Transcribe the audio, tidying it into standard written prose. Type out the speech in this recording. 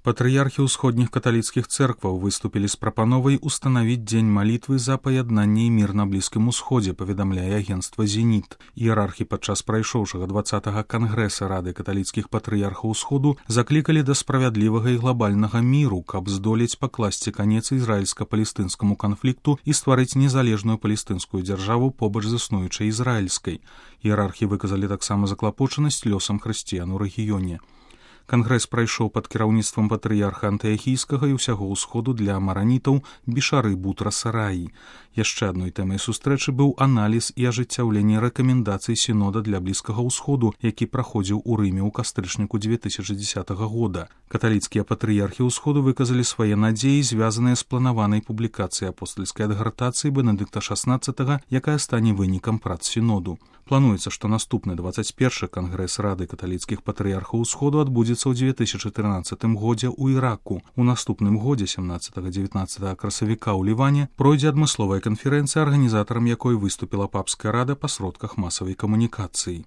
Патрыярхі ўсходніх каталіцкіх цэркваў выступілі з прапановай устанавіць дзень малітвы за паяднанне і мір на Блізкім Усходзе, паведамляе агенцтва «Зеніт». Іерархі падчас прайшоўшага 20-га кангрэса Рады каталіцкіх патрыярхаў Усходу заклікалі да справядлівага і глобальнага міру, каб здолець пакласці канец ізраільска-палестынскаму канфлікту і стварыць незалежную палестынскую дзяржаву побач з існуючай ізраільскай. Іерархі выказалі таксама заклапочанасць лёсам хрысціян у рэгіёне. Кангрэс прайшоў пад кіраўніцтвам патрыярха Антыахійскага і ўсяго ўсходу для маранітаў Бішары Бутраса Раі. Яшчэ адной тэмай сустрэчы быў аналіз і ажыццяўленне рэкамендацый сінода для Блізкага ўсходу, які праходзіў у Рыме ў кастрычніку 2010 года. Каталіцкія патрыярхі ўсходу выказалі свае надзеі, звязаныя з планаванай публікацыяй апостальскай адгартацыі Бенедыкта XVI, якая стане вынікам прац сіноду. Плануецца, што наступны 21-й кангрэс Рады каталіцкіх патрыярхаў Усходу адбудзецца ў 2014 годзе ў Іраку. У наступным годзе 17-19 красавіка ў Ліване пройдзе адмысловая канферэнцыя, арганізатарам якой выступіла папская рада па сродках масавай камунікацыі.